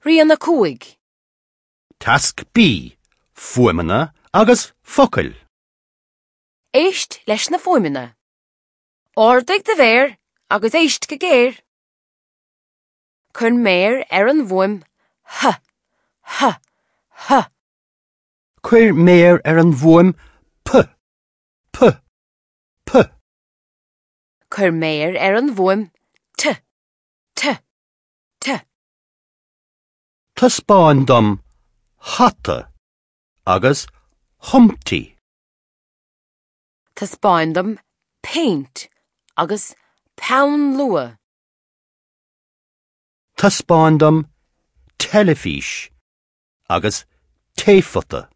Rian 5. Tasc B, Fuaimeanna agus focail. Éist leis na fuaimeanna. Ardaigh do mhéar agus éist go géar. Cuir méar ar an bhfuaim h, h, h. Cuir méar ar an bhfuaim p, p, p. Cuir méar ar an bhfuaim t, t, t. Taispeáin dom hata agus Humpty. Taispeáin dom péint agus peann luaidhe. Taispeáin dom teilifís agus taephota.